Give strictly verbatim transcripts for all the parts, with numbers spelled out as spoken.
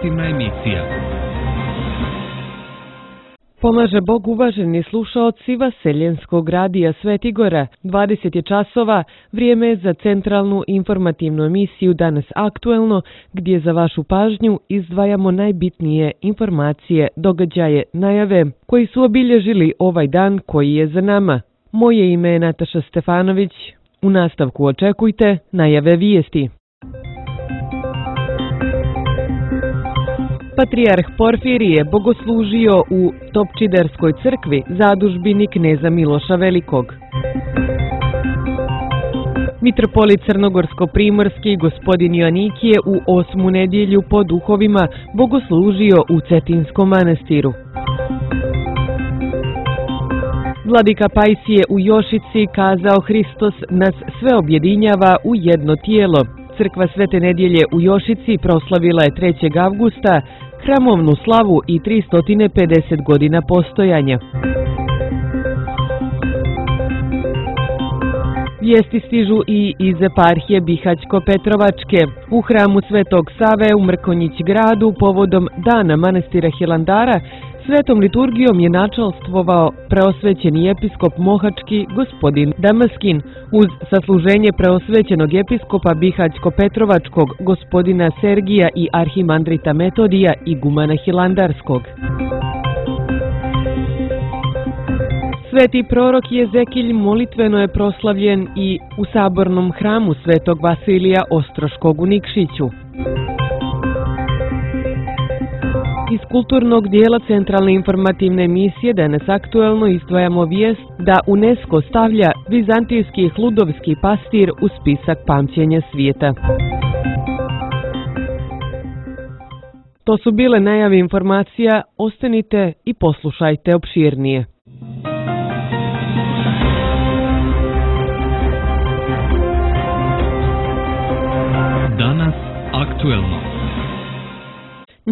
informativna emisija. Pomaže Bog, uvaženi slušaoci Vaseljenskog radija Svetigora. dvadeset je časova, vrijeme za centralnu informativnu emisiju Danas aktuelno, gdje za vašu pažnju izdvajamo najbitnije informacije, događaje, najave koji su obilježili ovaj dan koji je za nama. Moje ime je Nataša Stefanović. U nastavku očekujte najave vijesti. Patrijarh Porfirije bogoslužio u Topčiderskoj crkvi, zadužbini kneza Miloša Velikog. Mitropolit Crnogorsko-primorski gospodin Joanikije u osmu nedjelju po duhovima bogoslužio u Cetinskom manastiru. Vladika Pajsije u Jošici kazao: Hristos nas sve objedinjava u jedno tijelo. Crkva Svete nedjelje u Jošici proslavila je trećeg avgusta hramovnu slavu i tristo pedeset godina postojanja. Vijesti stižu i iz eparhije Bihać-Petrovačke. U hramu Svetog Save u Mrkonjić gradu povodom dana manastira Hilandara svetom liturgijom je načalstvovao preosvećeni episkop Mohački gospodin Damaskin uz sasluženje preosvećenog episkopa Bihać-Petrovačkog gospodina Sergija i arhimandrita Metodija igumana Hilandarskog. Sveti prorok Jezekilj molitveno je proslavljen i u sabornom hramu Svetog Vasilija Ostroškog u Nikšiću. Iz kulturnog dijela centralne informativne emisije Danas aktuelno izdvajamo vijest da UNESCO stavlja vizantijski hludovski pastir u spisak pamćenja svijeta. To su bile najave informacija, ostanite i poslušajte opširnije. Danas aktuelno.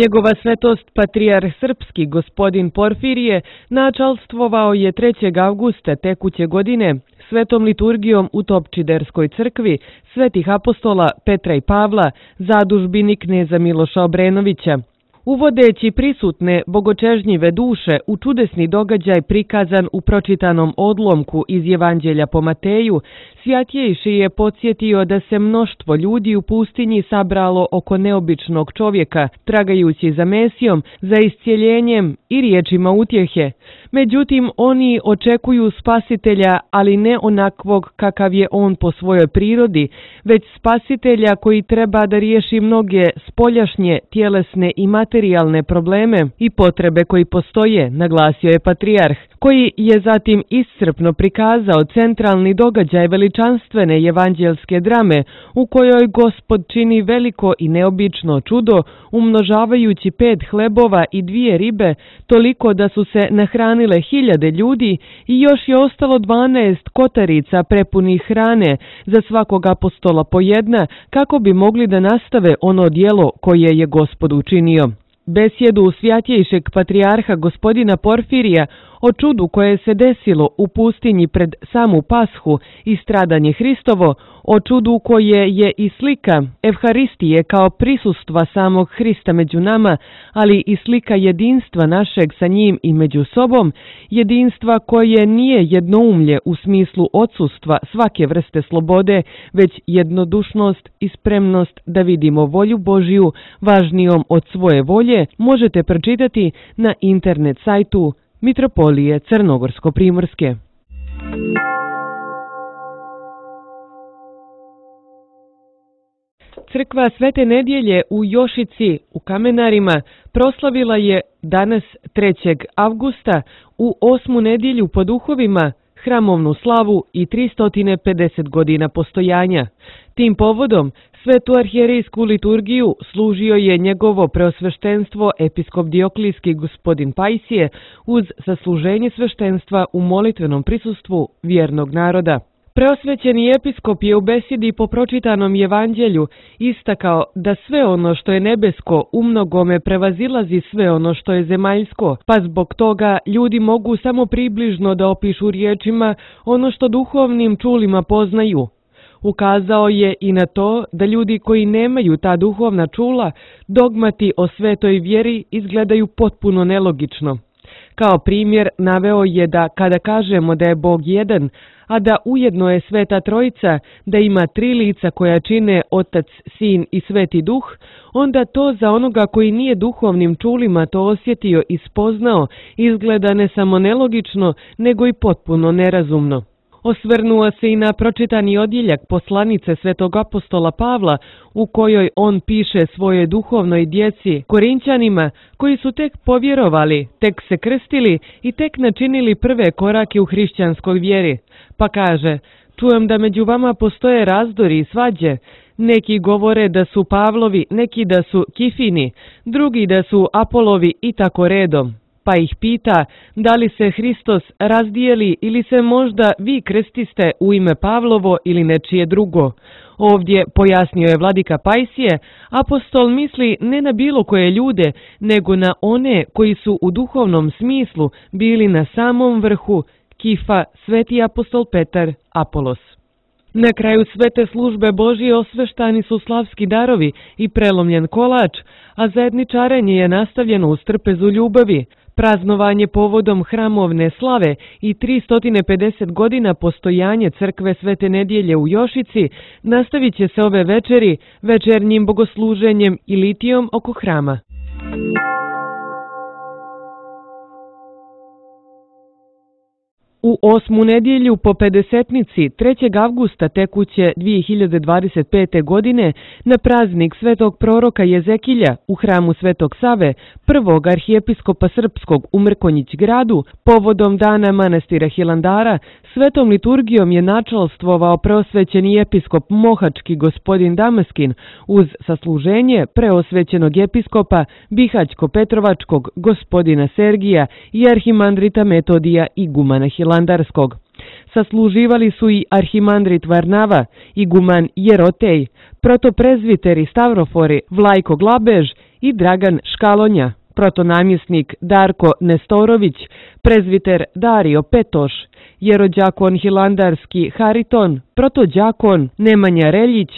Njegova svetost patrijarh srpski gospodin Porfirije načalstvovao je trećeg avgusta tekuće godine svetom liturgijom u Topčiderskoj crkvi svetih apostola Petra i Pavla, zadužbini kneza Miloša Obrenovića. Uvodeći prisutne bogočežnjive duše u čudesni događaj prikazan u pročitanom odlomku iz Evanđelja po Mateju, Svjatjejši je podsjetio da se mnoštvo ljudi u pustinji sabralo oko neobičnog čovjeka, tragajući za Mesijom, za iscijeljenjem i riječima utjehe. Međutim, oni očekuju spasitelja, ali ne onakvog kakav je on po svojoj prirodi, već spasitelja koji treba da riješi mnoge spoljašnje, tjelesne i materijalne probleme i potrebe koji postoje, naglasio je patrijarh, koji je zatim iscrpno prikazao centralni događaj veličanstvene evanđelske drame u kojoj Gospod čini veliko i neobično čudo, umnožavajući pet hlebova i dvije ribe, toliko da su se nahranile hiljade ljudi i još je ostalo dvanaest kotarica prepunih hrane, za svakog apostola po jedna, kako bi mogli da nastave ono djelo koje je Gospod učinio. Besjedu Svjatjejšeg patrijarha gospodina Porfirija o čudu koje se desilo u pustinji pred samu Pashu i stradanje Hristovo, o čudu koje je i slika Evharistije kao prisustva samog Hrista među nama, ali i slika jedinstva našeg sa njim i među sobom, jedinstva koje nije jednoumlje u smislu odsustva svake vrste slobode, već jednodušnost i spremnost da vidimo volju Božiju važnijom od svoje volje, možete pročitati na internet sajtu Mitropolije Crnogorsko-primorske. Crkva Svete nedjelje u Jošici u Kamenarima proslavila je danas trećeg avgusta u osmu nedjelju po duhovima hramovnu slavu i tristo pedeset godina postojanja. Tim povodom svetu arhijerejsku liturgiju služio je njegovo preosveštenstvo episkop Dioklijski gospodin Pajsije uz sasluženje sveštenstva u molitvenom prisustvu vjernog naroda. Preosvećeni episkop je u besjedi po pročitanom evanđelju istakao da sve ono što je nebesko umnogome prevazilazi sve ono što je zemaljsko, pa zbog toga ljudi mogu samo približno da opišu riječima ono što duhovnim čulima poznaju. Ukazao je i na to da ljudi koji nemaju ta duhovna čula, dogmati o svetoj vjeri izgledaju potpuno nelogično. Kao primjer naveo je da kada kažemo da je Bog jedan, a da ujedno je Sveta Trojica, da ima tri lica koja čine Otac, Sin i Sveti Duh, onda to za onoga koji nije duhovnim čulima to osjetio i spoznao izgleda ne samo nelogično, nego i potpuno nerazumno. Osvrnuo se i na pročitani odjeljak poslanice svetog apostola Pavla u kojoj on piše svojoj duhovnoj djeci Korinćanima koji su tek povjerovali, tek se krstili i tek načinili prve korake u hrišćanskoj vjeri. Pa kaže, čujem da među vama postoje razdori i svađe. Neki govore da su Pavlovi, neki da su Kifini, drugi da su Apolovi i tako redom. Pa ih pita da li se Hristos razdijeli ili se možda vi krstiste u ime Pavlovo ili nečije drugo. Ovdje, pojasnio je vladika Pajsije, apostol misli ne na bilo koje ljude, nego na one koji su u duhovnom smislu bili na samom vrhu, Kifa, sveti apostol Petar, Apolos. Na kraju svete službe Božije osveštani su slavski darovi i prelomljen kolač, a zajedničarenje je nastavljeno uz trpezu ljubavi. Praznovanje povodom hramovne slave i tristo pedeset godina postojanje crkve Svete Nedjelje u Jošici nastavit će se ove večeri večernjim bogosluženjem i litijom oko hrama. U osmu nedjelju po pedesetnici trećeg avgusta tekuće dvije hiljade dvadeset pete. godine na praznik svetog proroka Jezekilja u hramu Svetog Save, prvog arhijepiskopa srpskog u Mrkonjić gradu, povodom dana manastira Hilandara, svetom liturgijom je načalstvovao preosvećeni episkop Mohački gospodin Damaskin uz sasluženje preosvećenog episkopa Bihaćko-Petrovačkog gospodina Sergija i arhimandrita Metodija igumana Hilandarskog. Sasluživali su i arhimandrit Varnava, iguman Jerotej, protoprezviteri Stavrofori Vlajko Glabež i Dragan Škalonja, protonamjesnik Darko Nestorović, prezviter Dario Petoš, jerođakon Hilandarski Hariton, protođakon Nemanja Reljić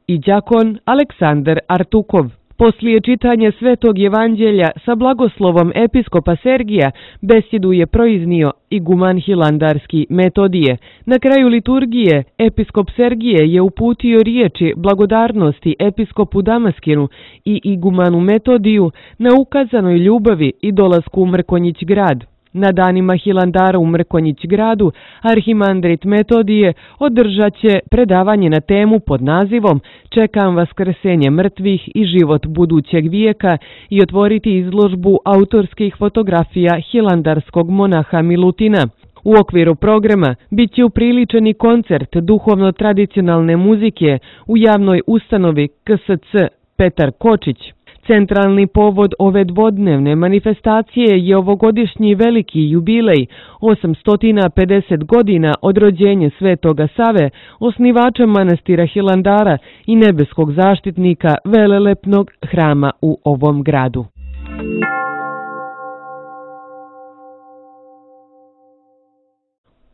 i đakon Aleksandar Artukov. Poslije čitanja Svetog Evanđelja sa blagoslovom episkopa Sergija besjedu je proiznio iguman Hilandarski Metodije. Na kraju liturgije episkop Sergije je uputio riječi blagodarnosti episkopu Damaskinu i igumanu Metodiju na ukazanoj ljubavi i dolasku u Mrkonjić grad. Na danima Hilandara u Mrkonjić gradu arhimandrit Metodije održat će predavanje na temu pod nazivom Čekam vaskrsenje mrtvih i život budućeg vijeka i otvoriti izložbu autorskih fotografija hilandarskog monaha Milutina. U okviru programa bit će upriličeni koncert duhovno-tradicionalne muzike u javnoj ustanovi K S C Petar Kočić. Centralni povod ove dvodnevne manifestacije je ovogodišnji veliki jubilej, osamsto pedeset godina od rođenja Svetoga Save, osnivača manastira Hilandara i nebeskog zaštitnika velelepnog hrama u ovom gradu.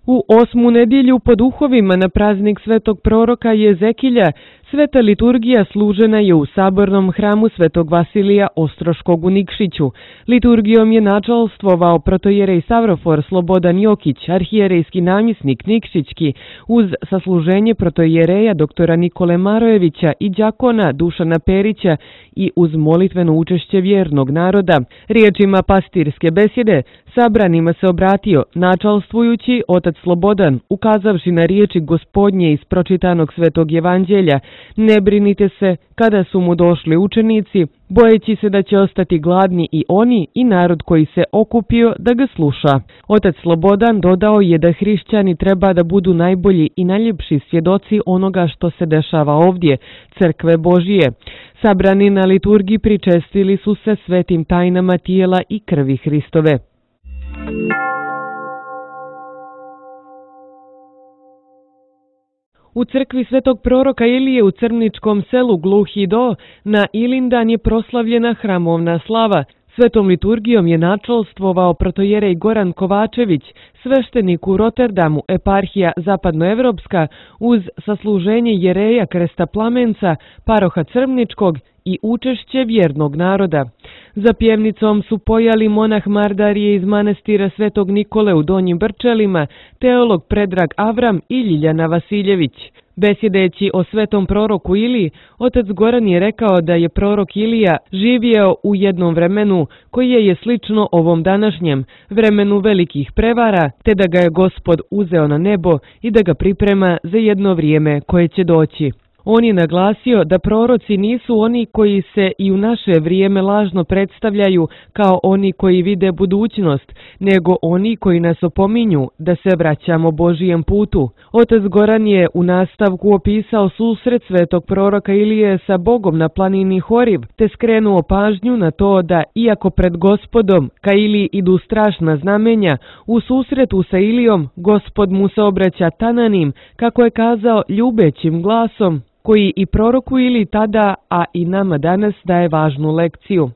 U osmu nedjelju po duhovima na praznik svetog proroka Jezekilja sveta liturgija služena je u sabornom hramu Svetog Vasilija Ostroškog u Nikšiću. Liturgijom je načalstvovao protojerej Savrofor Slobodan Jokić, arhijerejski namjesnik Nikšićki, uz sasluženje protojereja doktora Nikole Marojevića i đakona Dušana Perića i uz molitveno učešće vjernog naroda. Riječima pastirske besjede sabranima se obratio načalstvujući otac Slobodan, ukazavši na riječi Gospodnje iz pročitanog Svetog Evanđelja: ne brinite se, kada su mu došli učenici, bojeći se da će ostati gladni i oni i narod koji se okupio da ga sluša. Otac Slobodan dodao je da hrišćani treba da budu najbolji i najljepši svjedoci onoga što se dešava ovdje, crkve Božije. Sabrani na liturgiji pričestili su se svetim tajnama tijela i krvi Hristove. U crkvi svetog proroka Ilije u Crničkom selu Gluhi Do na Ilindan je proslavljena hramovna slava Svetom liturgijom je načelstvovao protojerej Goran Kovačević, sveštenik u Rotterdamu, eparhija zapadnoevropska, uz sasluženje jereja Krsta Plamenca, paroha Crvničkog i učešće vjernog naroda. Za pjevnicom su pojali monah Mardarije iz manastira Svetog Nikole u Donjim Brčelima, teolog Predrag Avram i Ljiljana Vasiljević. Besjedeći o svetom proroku Iliji, otac Goran je rekao da je prorok Ilija živjeo u jednom vremenu koje je slično ovom današnjem, vremenu velikih prevara, te da ga je Gospod uzeo na nebo i da ga priprema za jedno vrijeme koje će doći. On je naglasio da proroci nisu oni koji se i u naše vrijeme lažno predstavljaju kao oni koji vide budućnost, nego oni koji nas opominju da se vraćamo Božijem putu. Otac Goran je u nastavku opisao susret svetog proroka Ilije sa Bogom na planini Horiv, te skrenuo pažnju na to da, iako pred Gospodom ka Iliji idu strašna znamenja, u susretu sa Ilijom Gospod mu se obraća tananim, kako je kazao, ljubećim glasom, koji i proroku Iliji tada, a i nama danas daje važnu lekciju.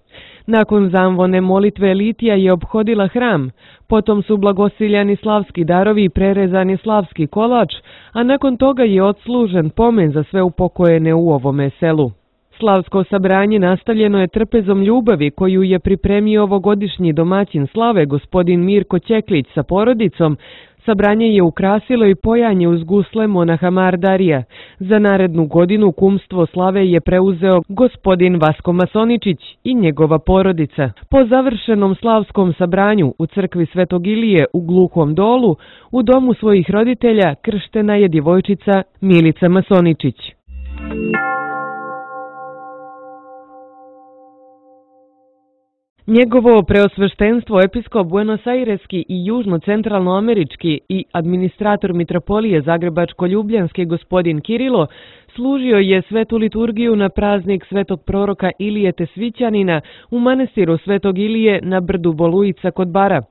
Nakon zamvone molitve Litija je obhodila hram, potom su blagosiljani slavski darovi i prerezani slavski kolač, a nakon toga je odslužen pomen za sve upokojene u ovome selu. Slavsko sabranje nastavljeno je trpezom ljubavi koju je pripremio ovogodišnji domaćin slave gospodin Mirko Ćeklić sa porodicom. Sabranje je ukrasilo i pojanje uz gusle monaha Mardarija. Za narednu godinu kumstvo slave je preuzeo gospodin Vasko Masoničić i njegova porodica. Po završenom slavskom sabranju u crkvi Svetog Ilije u Gluhom Dolu, u domu svojih roditelja krštena je djevojčica Milica Masoničić. Njegovo preosveštenstvo episkop Buenos-Aireski i južno-centralnoamerički i administrator mitropolije Zagrebačko-Ljubljanski gospodin Kirilo služio je svetu liturgiju na praznik svetog proroka Ilije Tesvićanina u manastiru Svetog Ilije na brdu Bolujica kod Bara.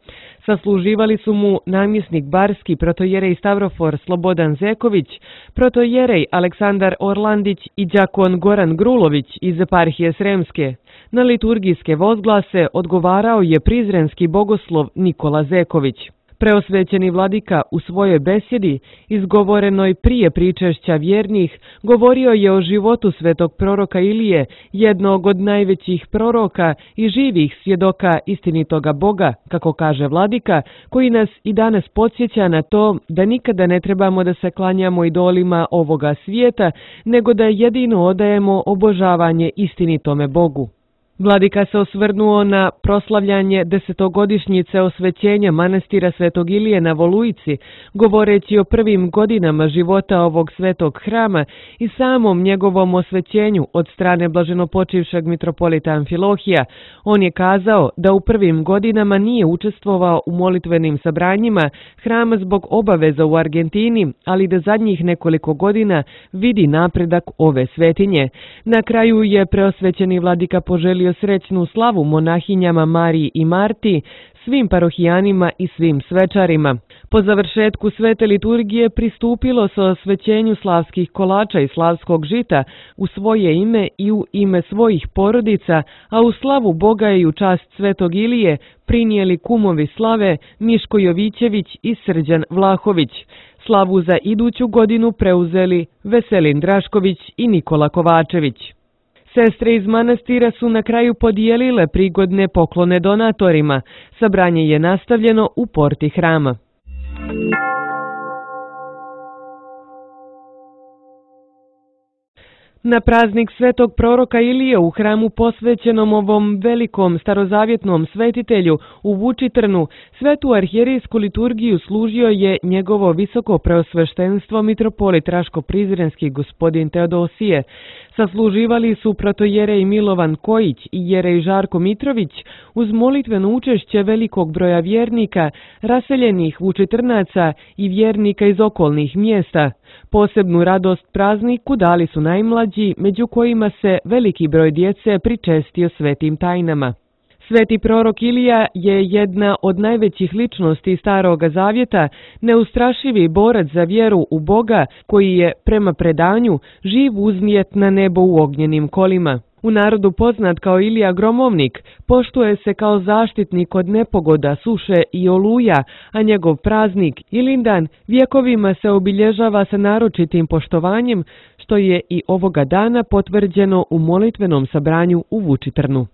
Sasluživali su mu namjesnik barski protojerej Stavrofor Slobodan Zeković, protojerej Aleksandar Orlandić i đakon Goran Grulović iz eparhije Sremske. Na liturgijske vozglase odgovarao je prizrenski bogoslov Nikola Zeković. Preosvećeni vladika u svojoj besjedi, izgovorenoj prije pričešća vjernih, govorio je o životu svetog proroka Ilije, jednog od najvećih proroka i živih svjedoka istinitoga Boga, kako kaže vladika, koji nas i danas podsjeća na to da nikada ne trebamo da se klanjamo idolima ovoga svijeta, nego da jedino odajemo obožavanje istinitome Bogu. Vladika se osvrnuo na proslavljanje desetogodišnjice osvećenja manastira Svetog Ilije na Volujici, govoreći o prvim godinama života ovog svetog hrama i samom njegovom osvećenju od strane blaženopočivšeg mitropolita Amfilohija. On je kazao da u prvim godinama nije učestvovao u molitvenim sabranjima hrama zbog obaveza u Argentini, ali da zadnjih nekoliko godina vidi napredak ove svetinje. Na kraju je preosvećeni vladika poželio srećnu slavu monahinjama Mariji i Marti, svim parohijanima i svim svečarima. Po završetku svete liturgije pristupilo se osvećenju slavskih kolača i slavskog žita u svoje ime i u ime svojih porodica, a u slavu Boga i u čast Svetog Ilije prinijeli kumovi slave Miško Jovićević i Srđan Vlahović. Slavu za iduću godinu preuzeli Veselin Drašković i Nikola Kovačević. Sestre iz manastira su na kraju podijelile prigodne poklone donatorima. Sabranje je nastavljeno u porti hrama. Na praznik svetog proroka Ilije u hramu posvećenom ovom velikom starozavjetnom svetitelju u Vučitrnu, svetu arhijerijsku liturgiju služio je njegovo visoko preosveštenstvo mitropolit Raško-Prizrenski gospodin Teodosije. Sasluživali su protojerej Milovan Kojić i jerej Žarko Mitrović uz molitveno učešće velikog broja vjernika, raseljenih Vučitrnaca i vjernika iz okolnih mjesta. Posebnu radost prazniku dali su najmlađi, među kojima se veliki broj djece pričestio svetim tajnama. Sveti prorok Ilija je jedna od najvećih ličnosti Staroga Zavjeta, neustrašivi borac za vjeru u Boga, koji je, prema predanju, živ uznijet na nebo u ognjenim kolima. U narodu poznat kao Ilija Gromovnik, poštuje se kao zaštitnik od nepogoda, suše i oluja, a njegov praznik Ilindan vjekovima se obilježava sa naročitim poštovanjem, što je i ovoga dana potvrđeno u molitvenom sabranju u Vučitrnu.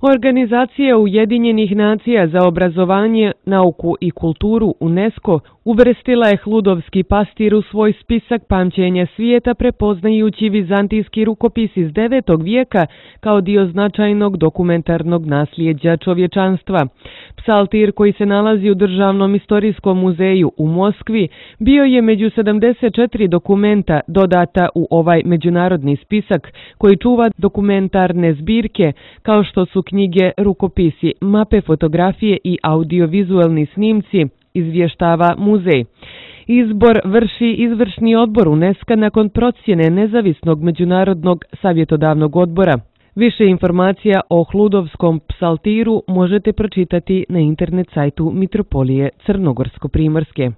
Organizacija Ujedinjenih nacija za obrazovanje, nauku i kulturu UNESCO uvrstila je Hludovski pastir u svoj spisak pamćenja svijeta prepoznajući vizantijski rukopis iz devetog vijeka kao dio značajnog dokumentarnog nasljeđa čovječanstva. Psaltir koji se nalazi u Državnom istorijskom muzeju u Moskvi bio je među sedamdeset četiri dokumenta dodata u ovaj međunarodni spisak koji čuva dokumentarne zbirke kao što su knjige, rukopisi, mape, fotografije i audiovizualni snimci, izvještava muzej. Izbor vrši izvršni odbor UNESCO nakon procjene nezavisnog međunarodnog savjetodavnog odbora. Više informacija o Hludovskom psaltiru možete pročitati na internet sajtu Mitropolije Crnogorsko-primorske.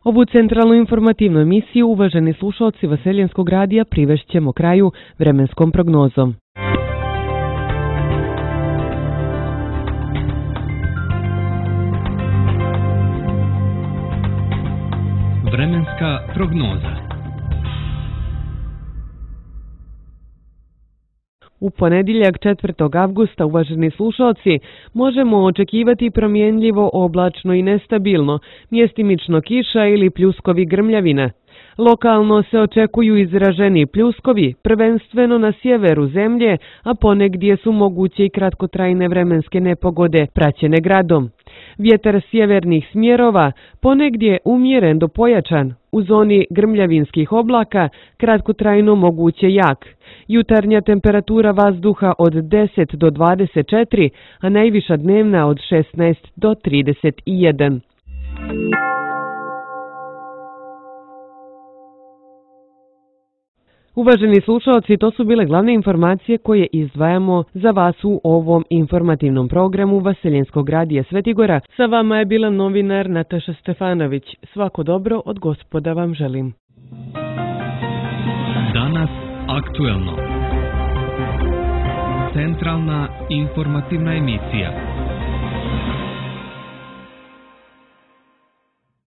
Ovu centralnu informativnu emisiju, uvaženi slušalci Vaseljenskog radija, privešćemo kraju vremenskom prognozom. Vremenska prognoza. U ponedjeljak četvrtog avgusta, uvaženi slušalci, možemo očekivati promjenljivo oblačno i nestabilno, mjestimično kiša ili pljuskovi grmljavina. Lokalno se očekuju izraženi pljuskovi, prvenstveno na sjeveru zemlje, a ponegdje su moguće i kratkotrajne vremenske nepogode praćene gradom. Vjetar sjevernih smjerova ponegdje umjeren do pojačan, u zoni grmljavinskih oblaka kratkotrajno moguće jak. Jutarnja temperatura vazduha od deset do dvadeset četiri, a najviša dnevna od šesnaest do trideset jedan. Uvaženi slušalci, to su bile glavne informacije koje izdvajamo za vas u ovom informativnom programu Vaseljenskog radija Svetigora. Sa vama je bila novinar Nataša Stefanović. Svako dobro od Gospoda vam želim. Danas aktuelno. Centralna informativna emisija.